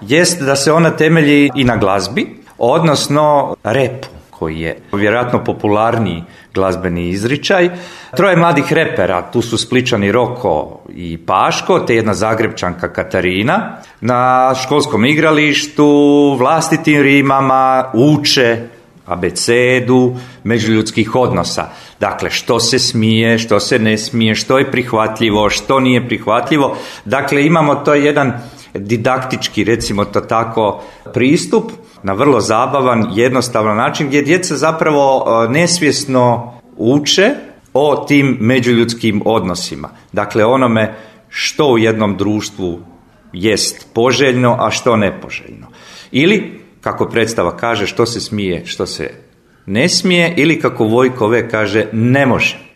jest da se ona temelji i na glazbi, odnosno repu, koji je vjerojatno popularniji glazbeni izričaj. Troje mladih repera, tu su Spličani Roko i Paško, te jedna Zagrepčanka Katarina, na školskom igralištu, vlastitim rimama uče abecedu međuljudskih odnosa. Dakle, što se smije, što se ne smije, što je prihvatljivo, što nije prihvatljivo. Dakle, imamo to jedan didaktički, recimo to tako, pristup na vrlo zabavan, jednostavan način gdje djeca zapravo nesvjesno uče o tim međuljudskim odnosima. Dakle, onome što u jednom društvu jest poželjno, a što nepoželjno. Ili, kako predstava kaže, što se smije, što se ne smije, ili kako Vojko V kaže, ne može.